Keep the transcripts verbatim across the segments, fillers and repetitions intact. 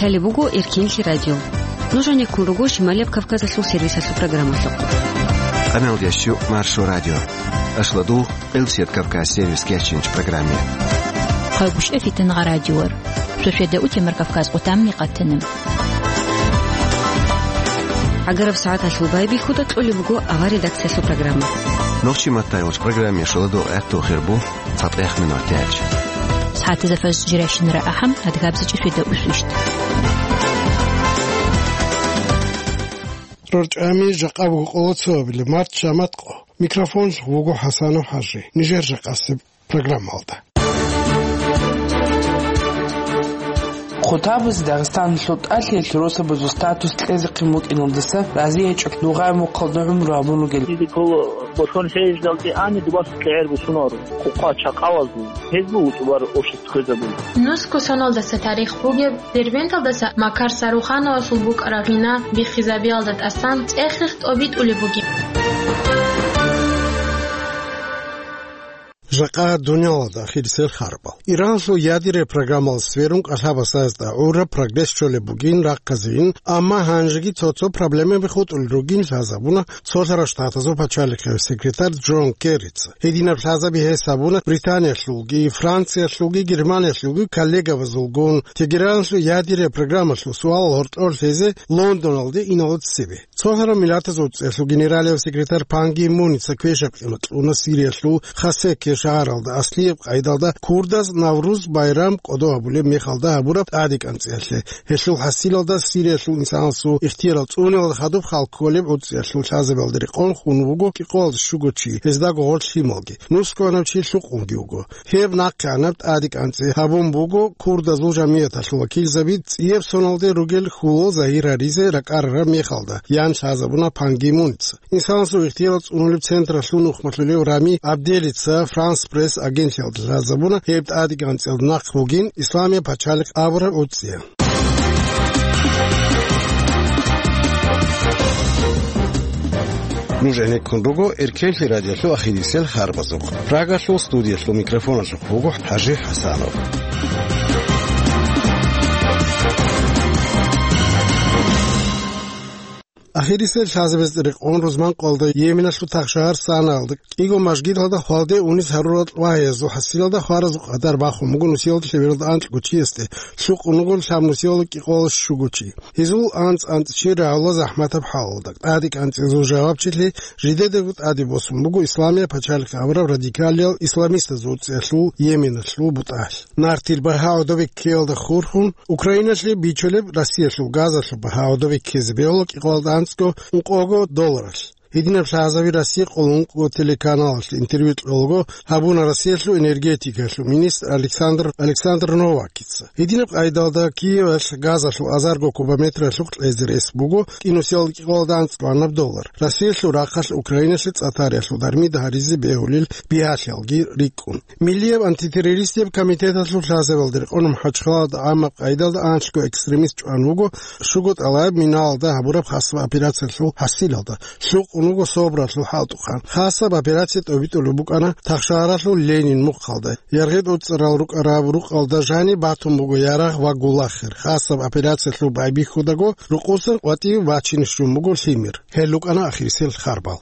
Лъалеб буго Эркенлъи радио. Нуж гьанеккун руго Шималияб Кавказалъул сервисалъул программалъухъ. Къамелдеш чу Маршо радио. Ашладул Элсет Кавказ сервис кечинч программе. Хъагушев Фитнагъа радиор. Шошеда утемар Кавказ къутамни къатана. ГӀагараб сагӀаталъул байбихьуда кьолеб буго авар редакциялъул программа. Нохчи маттайгъуч программе шоладул гӀертухир бу. ЦатӀех минут тяч. СагӀатазда фажр жирашинара ахӀам, адгабзичӀи шведа усвищт. РорчӀами жакъа буго къоло цоабилеб март шаматкъо. Микрофон вуго ХӀасанов ХӀажи. Нижер жакъасеб программалда. Хутабаз Дагъистаналъул тӀалъиялъ росабазул статус кьезехъин букӀиналдаса разиячӀеб нугъай мухъалда гӀумру гьабун ругел. Диде ккола бошон хӀежалде ани дубаса кьегӀер бусунаро, хъухъа чакъалазул. Гьез буго тӀубар общество хвезабун. Нусго соналдаса тарих бугеб, Дербенталдаса Макар Сарухановасул букӀараб гьина биххизабиялда тӀасан цӀехих тӀобитӀулеб бугеб. Жакъа дунялалда ахирисел харбал. Иранлъул ядерный программалас сверун кӀалъабасазда гӀураб прогресс щолеб бугин рахъазейин, амма гьанжеги цо-цо проблемаби хутӀулел ругин лъазабуна Цолъарал Штатазул пачалихъе секретарь Джон Керрица. Гьединаб лъазаби гьес гьабуна Британиялъулги, Франциялъулги, Германиялъулги коллегабазулгун. Тегераналъул ядерный программалъул суалал гьоркьор лъезе Лондоналде иналда цебе. Цолъарал Миллатазул ГӀуцӀиялъул генералияв секретарь Пан Ги Муница квешаб къимат кьуна Сириялъул Хасекке шагьаралда аслияб къайдалда курдаз Навруз байрам кӀодо гьабулеб мехалда гьабураб тӀадекӀанцӀиялъе. Гьелъул хӀасилалда Сириялъул инсанасул ихтиярал цӀунелал хадуб хал кколеб гӀуцӀиялъул лъазабиялда рекъон хун вуго кӀикъоялда щуго чи, гьездаго гъорлъ лъималги, нусгоанав чи лъукъунги вуго. Гьеб нахъегӀанаб тӀадекӀанцӀи гьабун буго курдазул жамияталъул вакилзаби цӀияб соналде ругел хьулал загьир гьаризе ракӀарараб мехалда, ян лъазабуна Пан Ги Мунца. Инсанасул ихтиярал цӀунулеб централъул нухмалъулев Рами Абделица Франс Пресс агентлъиялда лъазабуна гьеб тӀадекӀанцӀиялда нахъ бугин Исламияб пачалихъ абураб гӀуцӀия. Нуж гӀенеккун руго Эркенлъи радиолъул ахирисел харбазухъ. Прагалъул студиялъул микрофоналъухъ буго ХӀажи ХӀасанов. Ахирисел лъазабазда рекъон рузман къоялда Йеменалъул тахшагьар Санаалда кӀиго мажгиталда хвалде унис гьарурал вагьиязул хӀасилалда хваразул къадар бахун буго нусиялда лъебералда анкьго чиясде, лъукъун руго лъаб нусиялда кӀикъоялда щуго чи. Гьезул анцӀ-анцӀчи рагӀула захӀматаб хӀалалда, тӀадекӀанцӀизул жавабчилъи жидедаго тӀаде босун буго Исламияб пачалихъ абураб радикалиял исламистазул гӀуцӀиялъул Йеменалъул бутӀалъ. Нартил багьа гӀодобе ккеялда хурхун, Украиналъе бичулеб Россиялъул газалъул багьа гӀодобе ккезе бегьула кӀикъоялда анцӀго ункъого долларалъ. Гьединаб лъазаби Россия къулун ункъго телеканалалъе интервью кьолаго гьабуна Россиялъул энергетикалъул министр Александр, Александр Новакица. Гьединаб къайдалда Киевалъ газалъул азарго кубометралъухъ кьезе рес буго кӀинусиялда кӀикъоялда анцӀго гьанаб доллар. Россиялъул рахъалъ Украиналъе цӀатариялъул дармида гьаризе бегьулел бигьалъиялги рикӀкӀун. Миллияб антитеррористияб комитеталъул лъазабиялда рекъон МахӀачхъалада гӀамаб къайдалда анлъго экстремист чӀван вуго щуго тӀалаб миналалда гьабураб хасаб операциялъул хӀасилалда, лъукъун вуго СОБРалъул хӀалтӀухъан. Хасаб операция тӀобитӀулеб букӀана Тахшагьаралъул Ленин мухъалда. Яргъи тӀуцӀарал рукӀараб рукъалда жаниб батун буго Ярагъ ва Гулахир. Хасаб операциялъул байбихьудаго рукъусан къватӀив бачине щун буго лъимер. Гьел рукӀана ахирисел харбал.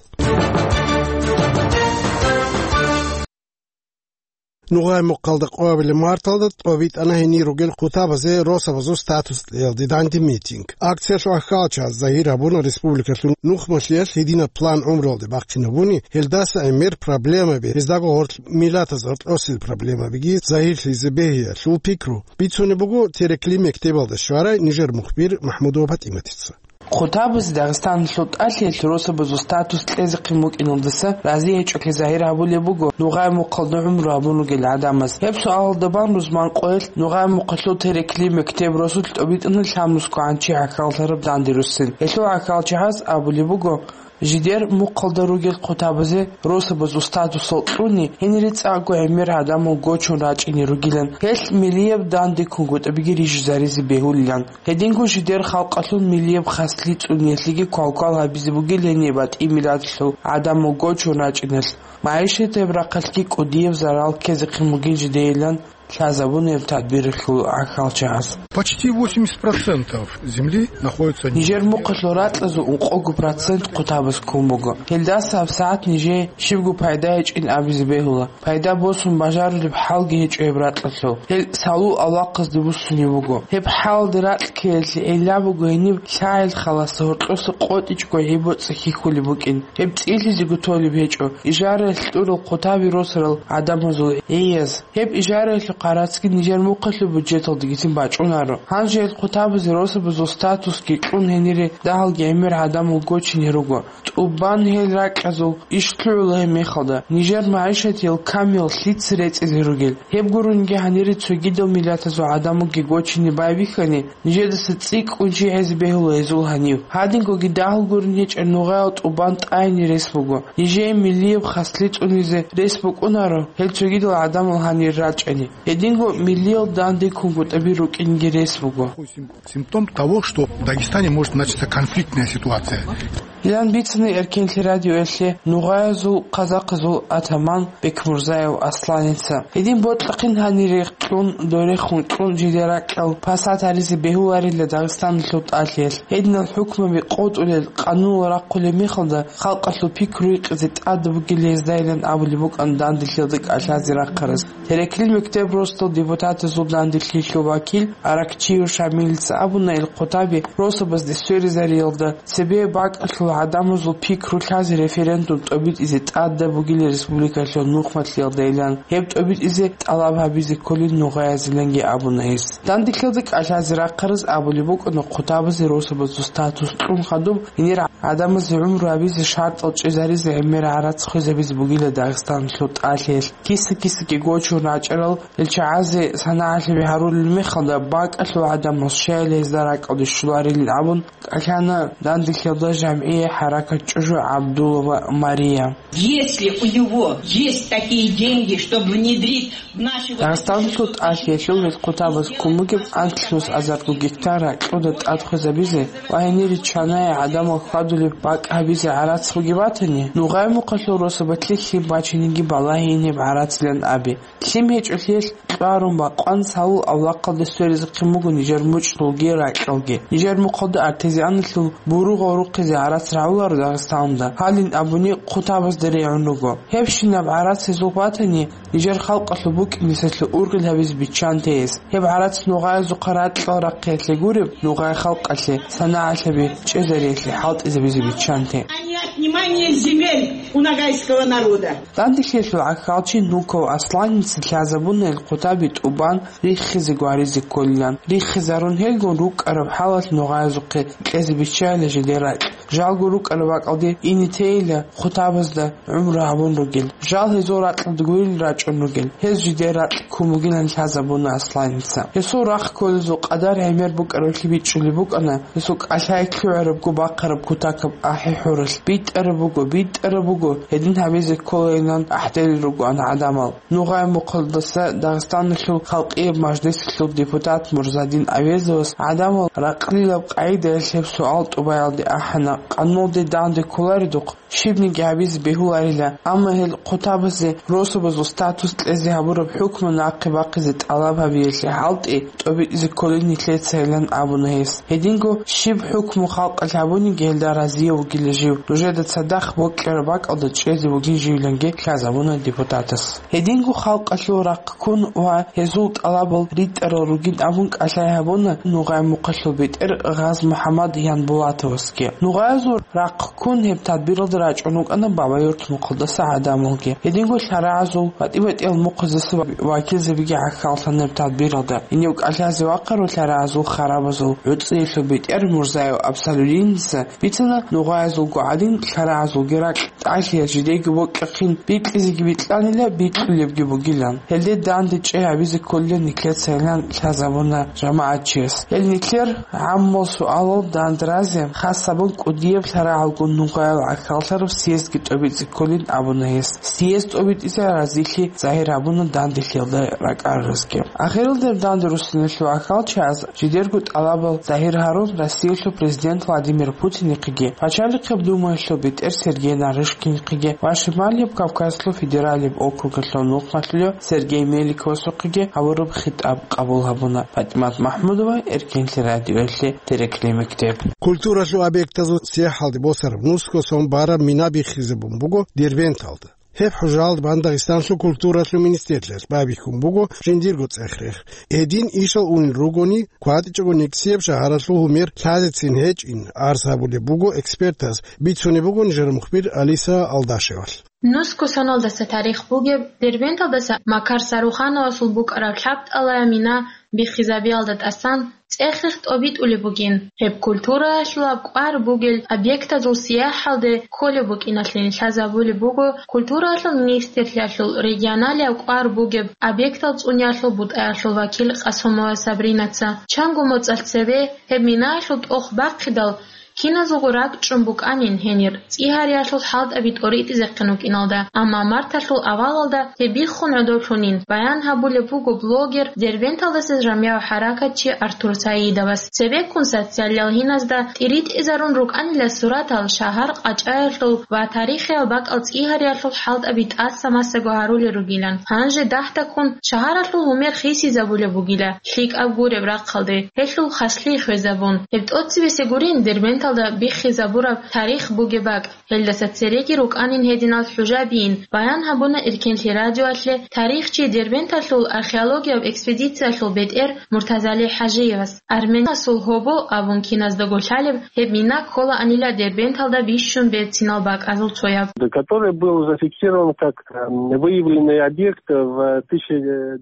Нугъай мухъалда къоабилеб марталда тӀобитӀана гьенир ругел хъутабазе росабазул статус кьеялде данде митинг. Акциялъул гӀахьалчагӀаз загьир гьабуна республикалъул нухмалъиялъ гьединаб план гӀумруялде бахъинабуни, гьелдаса гӀемер проблемаби, гьездаго гъорлъ миллатаз гьоркьосел проблемабиги загьирлъизе бегьиялъул пикру бицунеб буго Терекли мектебалда щварай нижер мухбир МахӀмудова ПатӀиматица. Хъутабазе Дагъистаналъул тӀалъиялъ росабазул статус кьезехъин букӀиналдаса разиячӀолъи загьир гьабулеб буго нугъай мухъалда гӀумру гьабун ругел гӀадамаз. Гьеб суалалда бан рузман къоялъ нугъай мухъалъул Терекли мектеб росулъ тӀобитӀана лъабнусго гӀанчи гӀахьаллъараб данде руссин. Гьелъул гӀахьалчагӀаз абулеб буго, жидер мухъалда ругел хъутабазе росабазул статусал кьуни, гьенире цӀакъго гӀемер гӀадамал гочун рачӀине ругилан, гьелъ миллияб данде кунгутӀабиги рижизаризе бегьулилан. Гьединго жидер халкъалъул миллияб хаслъи цӀуниялъеги квалквал гьабизе бугилани батӀи миллатлъул гӀадамал гочун рачӀиналъ, магӀишатияб рахъалъги кӀудияб зарал ккезехъин бугин жидейилан лъазабуна гьеб тадбиралъул гӀахьалчагӀаз. Почти восемьдесят процентов земли находится... Нижер мухъалъул ракьазул ункъого процент хъутабаз ккун буго. Гьелдаса гьабсагӀат нижее щибго пайда гьечӀин абизе бегьула. Пайда босун бажарулеб хӀалги гьечӀо гьеб ракьалъул. Гьел салул авлахъазде буссунеб буго. Гьеб хӀалалде ракь ккеялъе гӀилла буго гьениб лъагӀел халасе гьоркьоса къотӀичӀго гӀи-боцӀи хьихьулеб букӀин. Гьеб цӀилъизего толеб гьечӀо ижараялъ кьурал хъутаби росарал гӀадамазул гӀияз. Гьеб ижараялъухъ гӀарацги нижер мухъалъул бюджеталдегицин бачӀунаро. Гьанже гьел хъутабазе росабазул статусги кьун гьенире дагьалги гӀемер гӀадамал гочине руго. ТӀубан гьел ракьазул иш лъугӀула гьеб мехалда, нижер магӀишатиял камиял лъица рецӀизе ругел. Гьеб гурунги гьанире цогидал миллатазул гӀадамалги гочине байбихьани, нижедаса цӀикӀкӀун чи гьезе бегьула гьезул гьанив. Гьадингоги дагьал гурун гьечӀеб нугъаял тӀубан тӀайни рес буго. Нижее миллияб хаслъи цӀунизе рес букӀунаро гьел цогидал гӀадамал гьанир рачӀани. Гьединго миллиял данде кунгутӀаби рукӀинги рес буго. Симптом того, что в Дагестане может начаться конфликтная ситуация. Илан бицана Эркенлъи радиоялъе нугъаязул, казахъазул атаман Бекмурзаев Асланица. Гьедин бокьахъин гьанире кьун, дорехун кьун жидер ракьал пасат гьаризе бегьуларила Дагъистаналъул тӀалъиялъ. Гьединал хӀукмаби къотӀулел, къанунал рахъулеб мехалда халкъалъул пикру гьикъизе тӀадаб бугила гьездайилан абулеб букӀана данделъиялда кӀалъазе рахъараз. Тереклил мектеб росдал депутатазул данделъиялъул вакил Аракчиев Шамилица абуна, ил хъутаби росабазде сверизариялда цебе бакӀалъул гӀадамазул пикру лъазе референдум тӀобитӀизе тӀадаб бугила республикалъул нухмалъиялдайилан, гьеб тӀобитӀизе тӀалаб гьабизе кколин нугъаязиланги абуна гьес. Данделъиялда кӀалъазе рахъараз абулеб букӀана хъутабазе росабазул статус кьун хадуб гьенир гӀадамазе гӀумру гьабизе шартӀал чӀезаризе гӀемер гӀарац хвезабизе бугила Дагъистаналъул тӀалъиялъ. Киса-кисаги гочун рачӀарал гьел чагӀазе санагӀалъаби гьарулел мехалда, бакӀалъул гӀадамал щайила гьезда ракӀалде щоларилин абун кӀалъана данделъиялда жамгӀиял хӀаракат ЧӀужу ГӀабдулла ва Мария. Если у него есть такие деньги, чтобы внедрить в наши вот эти... Дагъистаналъул тӀалъиялъул гьел хъутабаз ккун бугеб анлънус азарго гектар ракьуда тӀад хвезабизе ва гьенире чанае гӀадамал хьвадулеб бакӀ гьабизе гӀарац бугеб батани, нугъай мухъалъул росабалъе лъим бачиниги балагьейин гьеб гӀарацилан абе. Лъим гьечӀолъиялъ кьварун бакъван салул авлахъалде сверизехъин буго нижер мучӀдулги ракьалги. Нижер мухъалда артезианалъул буругъал рухъизе гӀарац рагӀуларо Дагъистаналда, гьалин абуни хъутабазда регӀун руго. Гьебщинаб гӀарац гьезул батани, нижер халкъалъул букӀинисалъул ургъел гьабизе биччанте гьес. Гьеб гӀарац нугъаязухъа ракьал рахъиялъе гуреб, нугъай халкъалъе, санагӀалъаби чӀезариялъе хӀалтӀизабизе биччанте. А не отнимание земель у ногайского народа. Данделъиялъул гӀахьалчи Нуков Асланица лъазабуна ил хъутаби тӀубан риххизе гваризе кколилан. Риххизарун гьелгун рукӀараб хӀалалъ нугъаязухъе кьезе биччайила жидер ракь. Жалго рукӀараб бакӀалде ине тейила хъутабазда гӀумру гьабун ругел. Жал гьезул ракьалда гурил рачӀун ругел. Гьез жидер ракь ккун бугилан лъазабуна Асланица. Гьесул рахъ кколезул къадар гӀемер букӀараблъи бичӀчӀулеб букӀана, гьесул кӀалъай лъугӀарабго бахъараб кутакаб ахӀи-хӀуралъ. БитӀараб буго, битӀараб буго, гьедин гьабизе кколайилан ахӀдел ругоан гӀадамал. Нугъай мухъалдаса Дагъистаналъул халкъияб мажлисалъул депутат Мурзадин Авезовас гӀадамал ракълилаб къагӀидаялъ гьеб суал тӀубаялде ахӀана, къануналде данде кколаредухъ, щибниги гьабизе бегьуларила, амма гьел хъутабазе росабазул статус кьезе гьабураб хӀукму нахъе бахъизе тӀалаб гьабиялъе хӀалтӀи, тӀобитӀизе кколин нилъецайилан абуна гьес. Гьединго щиб хӀукму халкъалъ гьабуниги гьелда разияв вугила жив, нужеда цадахъ бокьараб бакӀалда чӀезе вугин живиланги лъазабуна депутатас. Гьединго халкъалъул рахъ ккун ва гьезул тӀалабал ритӀарал ругин абун кӀалъай гьабуна Нугъай мухъалъул бетӀер Гъаз-МухӀаммад Янбулатовасги. Нугъаязул рахъ ккун гьеб тадбиралда рачӀун вукӀана Бабаюрт мухъалдаса гӀадамалги. Гьединго лъарагӀазул, батӀи-батӀиял мухъаздаса вакилзабиги гӀахьаллъана гьеб тадбиралда. Гьенив кӀалъазе вахъарав лъарагӀазул харабазул гӀуцӀиялъул бетӀер Мурзаев Абсалудиница бицана, нугъаязулго гӀадин, лъарагӀазулги ракь тӀалъиялъ жидеги бокьахъин бикьизеги бикьанила, бикьулебги бугилан. Гьелде данде чӀей гьабизе кколилан нилъецайилан лъазабуна жамагӀатчияс. Гьел нилъер гӀаммал суалал дандразе хас гьабун кӀудияб лъарагӀалгун нугъаял гӀахьаллъараб съездги тӀобитӀизе кколин абуна гьес. Съезд тӀобитӀизе разилъи загьир гьабуна данделъиялда ракӀаралазги. Ахиралде данде руссиналъул ахьалчагӀаз жидерго тӀалабал Загьир Гьарун Россиялъул президент Владимир Путинихъеги, Пачалихъеб Думаялъул бетӀер Сергей Нарышкинихъеги ва Шималияб Кавказалъул федералияб округалъул нухмалъулев Сергей Меликовасухъеги гьабураб хитӀаб къабул гьабуна. ПатӀимат МахӀмудова, Эркенлъи радиоялъе, Терекли мектеб. Культуралъул объектазул сияхӀалде босараб нусго сон бараб мина биххизабун буго Дербенталда. Гьеб хӀужалда бан Дагъистанлъул культуралъул министрлъиялъ байбихьун буго жиндирго цӀех-рех. Гьедин ишал унел ругони, кватӀичӀого никсияб шагьаралъул гьумер лъазецин гьечӀин, арз гьабулеб буго экспертаз, бицунеб буго нижер мухбир Алиса Алдашевалъ. Нусго соналдаса тарих бугеб, Дербенталдаса Макар Сарухановасул букӀараб лъабтӀалая мина биххизабиялда тӀасан цӀех-рех тӀобитӀулеб бугин. Гьеб культураялъулаб кӀвар бугел объектазул сияхӀалде кколеб букӀиналъе лъазабулеб буго культураялъул министрлъиялъул регионалияб кӀвар бугеб объектал цӀуниялъул бутӀаялъул вакил Къасумова Сабринаца. Чанго моцӀалъ цебе гьеб минаялъул тӀох бахъидал, киназулго ракӀчӀун букӀанин гьенир, цӀигьариялъул хӀалтӀаби тӀоритӀизехъин вукӀиналда, амма марталъул авалалда гьеб биххун гӀодоблъунин, баян гьабулеб буго блогер, Дербенталдаса жамигӀав хӀаракатчи Артур Саидовас. Цебеккун социалиял гьиназда тӀиритӀизарун рукӀанила суратал шагьар къачӀаялъул ва тарихиял бакӀал цӀигьариялъул хӀалтӀаби тӀаса-масаго гьарулел ругилан. Гьанже дагьдаккун шагьаралъул гьумер хисизабулеб бугила, лъикӀаб гуреб рахъалде, гьелъул хаслъи хвезабун. Гьеб тӀоцебесеб гурин Дербенталда биххизабураб тарих бугеб бакӀ. Гьелдаса цереги рукӀанин гьединал хӀужабиин, баян гьабуна Эркенлъи радиоялъе тарихчи, Дербенталъул археологияб экспедициялъул бетӀер Муртазали ХӀажиевас. Арменасул гьобо абун киназдаго лъалеб, гьеб мина кколаанила Дербенталда бищун берцинал бакӀазул цояб. Который был зафиксирован как, э, выявленный объект в тысяча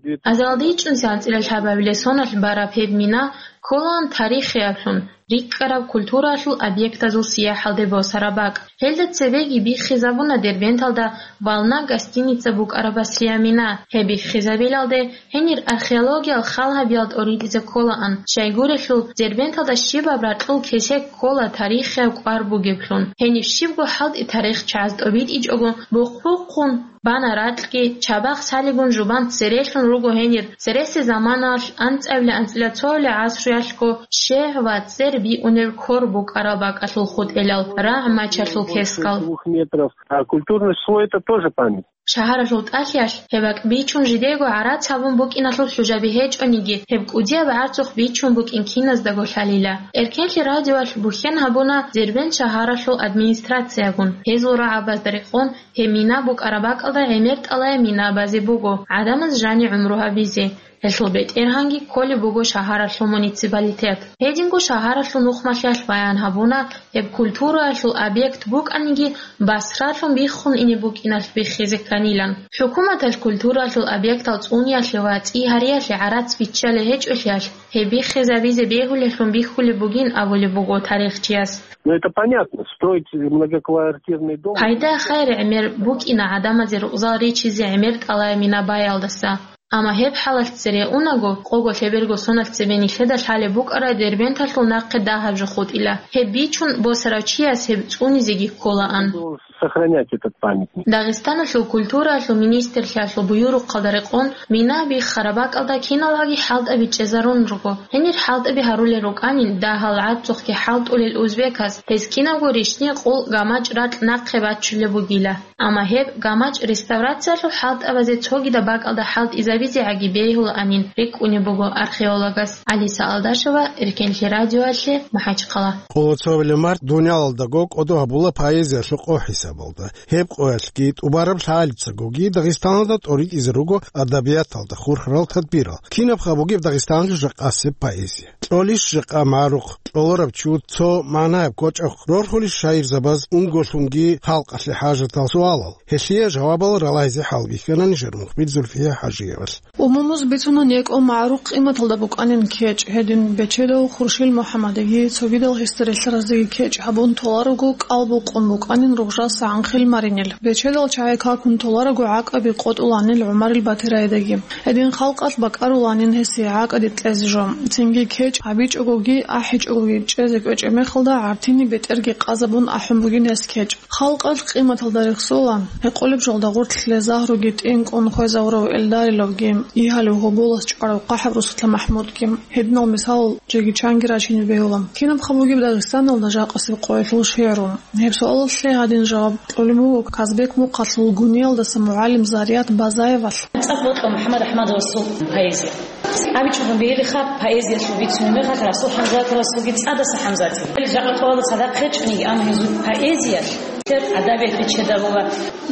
девятьсот Азалде ичӀнусиан анцӀила лъабабилеб соналъ бараб гьеб мина кколаан тарихиялъун рикӀкӀараб культуралъул объектазул сияхӀалде босараб бакӀ. Гьелда цебеги биххизабуна Дербенталда «Волна» гостиница букӀараб басрияб мина. Гьеб биххизабилалде гьенир археологиял хал гьабиялда тӀоритӀизе кколаан. Щайгурелъул, Дербенталда щибаб ракьул кесек ккола тарихияб кӀвар бугеблъун. Гьениб щибго хӀалтӀи тарихчагӀаз тӀобитӀичӀого бухъ-бухъун бана ракьги, чабахъ лъалигун жубан церелъун руго гьенир, цереси заманалъ анцӀабилеб-анцӀила цоабилеб гӀасруялъго щегь ва цӀер биунеб кор букӀараб бакӀалъул хутӀелал, рагӀ мачалъул кескал. Двух метров. А культурный слой — это тоже память. Шагьаралъул тӀалъиялъ гьеб бакӀ бичун жидего гӀарац гьабун букӀиналъул хӀужаби гьечӀониги, гьеб кӀудияб гӀарцухъ бичун букӀин киназдаго лъалила. Эркенлъи радиоялъ бухьен гьабуна Дербент шагьаралъул администрациягун. Гьезул рагӀабазда рекъон, гьеб мина букӀараб бакӀалда гӀемер тӀалай мина базе буго, гӀадамаз жани гӀумру гьабизе. Гьелъул бетӀергьанги кколеб буго шагьаралъул муниципалитет. Гьединго шагьаралъул нухмалъиялъ баян гьабуна, гьеб культураялъул объект букӀаниги, басралъун биххун ине букӀиналъ биххизе кканилан. ХӀукуматалъ культураялъул объектал цӀуниялъе ва цӀигьариялъе гӀарац биччалел гьечӀолъиялъ, гьеб биххизабизе бегьулелъун бихьулеб бугин абулеб буго тарихчияс. Ну, это понятно. Строить многоквартирный дом. Пайда хайр гӀемер букӀина гӀадамазе рукъзал ричизе гӀемер тӀалай мина баялдаса. Амма гьеб хӀалалъ цере унаго, къого-лъеберго соналъ цебе нилъеда лъалеб букӀараб Дербенталъул нахъе дагьаб жо хутӀила. Гьеб бичун босарав чияс гьеб цӀунизеги кколаан. Сохранять этот памятник. Дагъистаналъул культураялъул министрлъиялъул буюрухъалда рекъон, мина биххараб бакӀалда киналгӀаги хӀалтӀаби чӀезарун руго. Гьенир хӀалтӀаби гьарулел рукӀанин, дагьал гӀарцухъги хӀалтӀулел узбеказ, гьез кинабго рищни къул гамачӀ ракь нахъе баччулеб бугила. Амма гьеб гамачӀ реставрациялъул хӀалтӀабазе цогидаб бакӀалда хӀалтӀизабизегӀаги бегьулаанин рикӀкӀунеб буго археологас. Алиса Алдашева, Эркенлъи радиоялъе, МахӀачхъала. Къоло цоабилеб март дунялалдаго кӀодо гьабула поэзиялъул къо хӀисабалда. Гьеб къоялъги тӀубараб лъагӀалицагоги Дагъистаналда тӀоритӀизе руго адабияталда хурхарал тадбирал. Кинабха бугеб Дагъистаналъул жакъасеб поэзия? Кьолищ жакъа магӀарухъ, кьоларав чи вуго цо магӀнаяб кочӀохъ, рорхулищ шаирзабаз унголъунги халкъалъе хӀажатал суалал? Гьелъие жавабал ралайзе хӀалбихьана нижер мухбир Зульфия ХӀажиевалъ. Умумуз бицуна некӀо магӀарухъ къиматалда букӀанин кечӀ, гьедин Бечедав Хуршил МухӀаммадиги цогидал гьесда релълъараздеги кечӀ гьабун толарого кӀал букъун букӀанин Ругъжал СагӀанхил Маринил. Бечедал чагӀи какун толарого гӀакӀаби къотӀуланил ГӀумарил Батирайдаги. Гьедин халкъалъ бакӀаруланин гьесие гӀакӀаде кьезе жо. Цинги кечӀ гьабичӀогоги ахӀичӀогоги чӀезе кӀвечӀеб мехалда гӀартини бетӀерги къазабун ахӀун бугин гьес кечӀ. Халкъалъ къиматалда рехсола, гьекъолеб жоялда гъорлъ лъезагьруги тӀинкӀун хвезавурав Эльдариловги, игьалев гьоболас чӀварав КъахӀаб Русулъа МахӀмудги, гьединал мисалал жеги чанги рачине бегьула. Кинабха бугеб Дагъистаналда жакъасеб къоялъул шигӀру? Гьеб суалалъе гьадин жаваб кьолеб буго Казбек мухъалъул Гуниялдаса мугӀалим Зарият Базаевалъ. ЦӀакъ бокьун МухӀаммад АхӀмадовасул поэзия. АбичӀогун бегьилиха, поэзиялъул бицунеб мехалъ Расул ХӀамзатовасулги ЦӀадаса ХӀамзатил. Жакъа къоялда цадахъ гьечӀониги, амма гьезул поэзиялъ нилъер адабиялъ риччазе бегьула.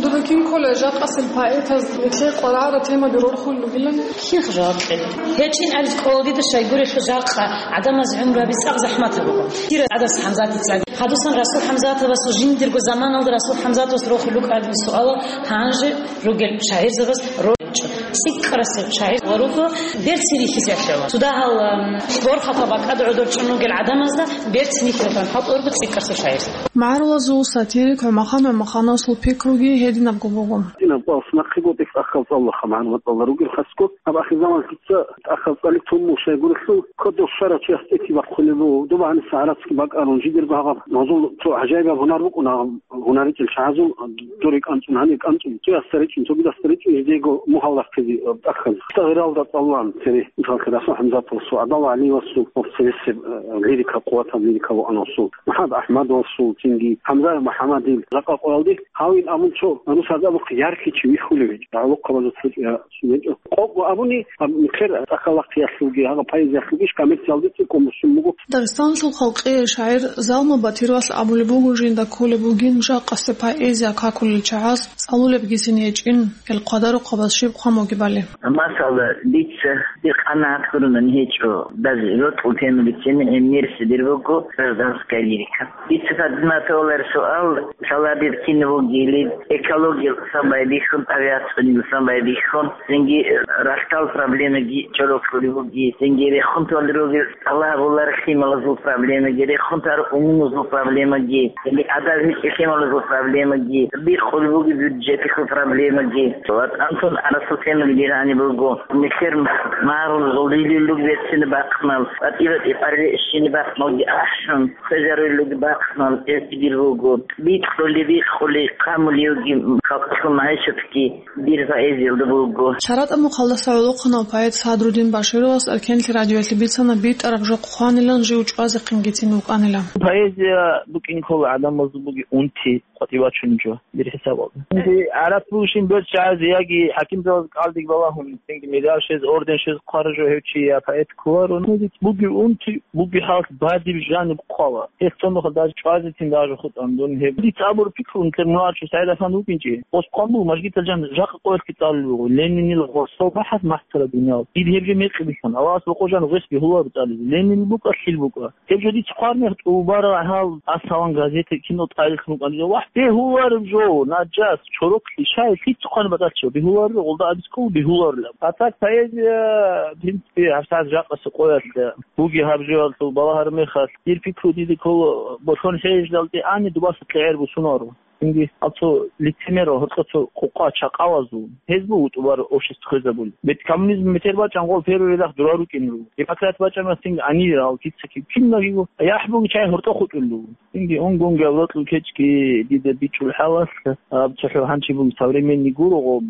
Дуда кинккола жакъасел поэтаз нилъее къваригӀараб темаби рорхулел ругилан? Кинха жаваб кьела? ГьечӀин абизе кӀола дида, щайгурелъул жакъа гӀадамазе гӀумру гьаби цӀакъ захӀматаб буго. Кира ГӀадас ХӀамзатица. Гьадусан Расул ХӀамзатовасул жиндирго заманалда Расул ХӀамзатовас рохулел рукӀараб суалал гьанже ругел шагӀирзабаз рорчӀо. ЦӀикӀкӀарасев шагӀир ва руго берцин рихьизе ахӀила. Цо дагьал, ам, борхатаб бакӀалда гӀодор чӀун ругел гӀадамазда берцин рихьилан хӀалтӀурго цӀикӀкӀарасев шагӀир. МагӀарулазул сатирик ГӀумахъан ГӀумахъановасул пикруги гьединабго буго. Динаб цӀалас нахъе гъотӀи тӀахьал цӀалулаха, магӀарулал цӀалулел ругел хасго. Гьаб ахирзаман лъица тӀахьал цӀалик тун мун щайгурелъул, кодов щварав чияс тӀети бахъулеб буго. Доба гьаниса гӀарацги бакӀарун жидерго гьаб, гьазул цо гӀажаибаб гьунар букӀуна гьаб, гьунар ричӀел чагӀазул, дуре кӀанцӀун, гьанир кӀанцӀун, цоясда ричӀун, цогидасда ричӀун, жидего мугьал рахъизе тӀахьазда. Гъиралда цӀалулаан цере, мисаллъе, Расул ХӀамзатовасул, ГӀадал ГӀалиевасул, цересеб, э, лирика, къуватаб лирика вугӀанасул, МухӀаммад АхӀмадовасул, цинги ХӀамзаев МухӀаммадил жакъа къоялде, гьавин абун цо, нусазда абухъе, ярхичи вихьулев гьечӀо, гӀолохъабазул цо-, я, цо гьечӀо. Къокъго абуни, гьаб нилъер цӀакъ-лахъиялъулги, гьагъа поэзиялъулги иш коммерциялде цӀикӀкӀун бусун буго. Дагъистаналъул халкъияв шагӀир Залму Батировалъ абулеб буго жинда кколеб бугин жакъасеб поэзия какулел чагӀаз цӀалулебгицин гьечӀин, гьел хъвадарухъабаз щиб хъван бугебали. Масала, дица дир къанагӀат гуронани гьечӀо, даже рокьул темабицин гӀемерисеб дир буго гражданская лирика. Дица гьадинаб тавалар суал, лъалаб дир кин вугилин, экологиялъусан байбихьун, тӀабигӀатцӀунилъусан байбихьун, цинги рахьдал проблемаги чорокьулеб буги, цинги рехун толел ругел тӀалабулар лъималазул проблемаги, рехун тар умумузул проблемаги, цинги адаб гьечӀеб лъималазул проблемаги, бихъулеб буги бюджеталъул проблемаги. ВатӀан тун арасул темаги дир гьаниб буго. Нилъер магӀарулазул лилил руги берцинаб бахънал, батӀи-батӀи къваригӀел щинаб бахъналги ахӀун, хвезарулел руги бахънал, гьезги дир буго. Бикьули-бикъули, хъамулевги, халкъалъул магӀишатги дир поэзиялда буго. ЧаратӀа мухъалдаса гӀолохъанав поэт Садрудин Башировас Эркенлъи радиоялъе бицана битӀараб жо хъванилан жив чӀвазехъинги цин вукӀанила. Поэзия букӀин ккола гӀадамазул бугеб унти къватӀив вачунеб жо, дир хӀисабалда. Гьанже гӀарац бугищин берцин чагӀазе яги хӀакимзабаз кӀалдиб балагьун, цинги медаль щвез, орден щвез хъвараб жо гьев чи я поэт кколаро. Гьанже бугеб унти, бугеб хӀалалъ бадиб жаниб хъвала. Гьес цо нухалъ даже чӀвазецин даже хутӀана дун гьеб. Дица абураб пикру, нилъер мугӀарчи СагӀид Афанди вукӀинчӀеб. Гъос хъван буго, мажгитал жан жакъа къоялъги цӀалулеб буго. Ленинил гъорсал бахӀараб махтара дуниял. Дид гьеб жо мекъи бихьана. Аллагьас бокъо жан гъос бегьуларо цӀализе. Ленинил букӀа, лъил букӀа. Гьеб жо дица хъвараб мехалъ тӀубараб гьал Арсалан газета кино тӀадехун вукӀана. Вагь, бегьулареб жо, наджас, чороклъи, щай, лъица хъван батӀалъ чӀо, бегьуларо, гъолда абицӀ ккола бегьуларилан. А так поэзия, в принципе, гьабсагӀат жакъасеб къоялъ бугеб гьаб жоялъул балагьараб мехалъ, дир пикру дида ккола, болъон хӀежалде ани дубаса кьегӀер бусунаро. Цинги гьал цо лицемерал гьоркьо цо къукъа чакъалазул, гьез буго тӀубараб общество хвезабулеб. Бет коммунизм бетер бачӀан гъол первый рядах дурал рукӀине руго. Демократ бачӀан цинги анир гьал кица-киб кинабго яхӀ бугеб чагӀи гьоркьо хутӀулел руго. Цинги унгунги авлакьул кечӀги дида бичӀчӀул хӀалалъ, гьаб цохӀо гьанчи бугеб современный гуро гъоб,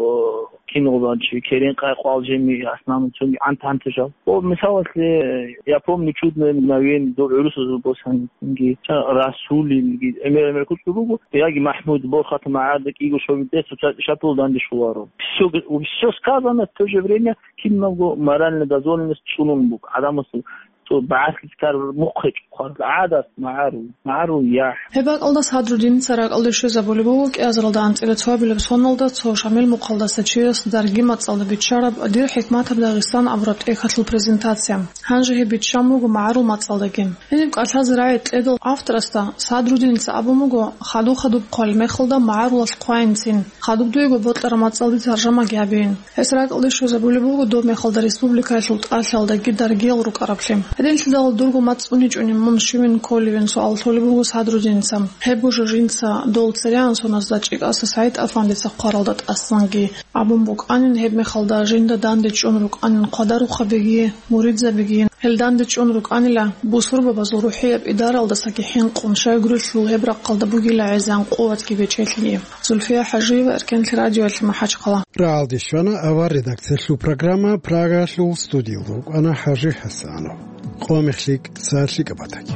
кино гъоб гьанчи, керен къай къвал жеми, основном цоги гӀанта-гӀанта жал. О, мисалалъе, я помню «Чудное мгновение», доб гӀурусазул босани, цинги, ца, Расулилги, гӀемер-гӀемер куцӀ буго, яги МахӀмуд, Борхат, МагӀарда кӀиго шобитӀе, цоца шатул данде щоларо. Всё г-, всё сказано, в то же время кинабго моральная дозволенность чӀунун буго гӀадамасул. Цо багӀаслъи цӀар мухъ гьечӀо хъван. ГӀадат, магӀарул, магӀарул яхӀ. Гьеб бакӀалда Садрудиница ракӀалде щвезабулеб буго кӀиазаралда анцӀила цоабилеб соналда цо Шамил мухъалдаса чияс дарги мацӀалда биччараб «Дир хӀикматаб Дагъистан» абураб тӀехьалъул презентация. Гьанже гьеб биччан буго магӀарул мацӀалдаги. Гьениб кӀалъазе рагӀи кьедал авторасда Садрудиница абун буго, хадуб-хадуб хъвалеб мехалда магӀарулалъ хъвайинцин, хадуб дуего бокьараб мацӀалде таржамаги гьабейин. Гьес ракӀалде щвезабулеб буго доб мехалда республикаялъул тӀалъаялдаги даргиял рукӀараблъи. Динлъидал дурго мацӀ уничӀони мун щивин кколевин суал толеб буго Садрудиница. Гьебго жо жинца дол цереан соназда ЧӀикӀаса СагӀид-афандица хъваралда тӀасанги абун букӀанин, гьебмехалда жинда дандечӀун рукӀанин хъвадарухъабиги, муридзабиги. Гьел дандечӀун рукӀанила, бусурбабазул рухӀияб идаралдасаги хӀинкъун, щайгурелъул гьеб рахъалда бугила гӀезегӀан къуватги бечелъиги. Зульфия ХӀажиева, Эркенлъи радиоялъе, МахӀачхъала. РагӀалде щвана авар редакциялъул программа, Прагаялъул студиялда вукӀана ХӀажи ХӀасанов. Къо мехлъи, цалъи кӀабатаги.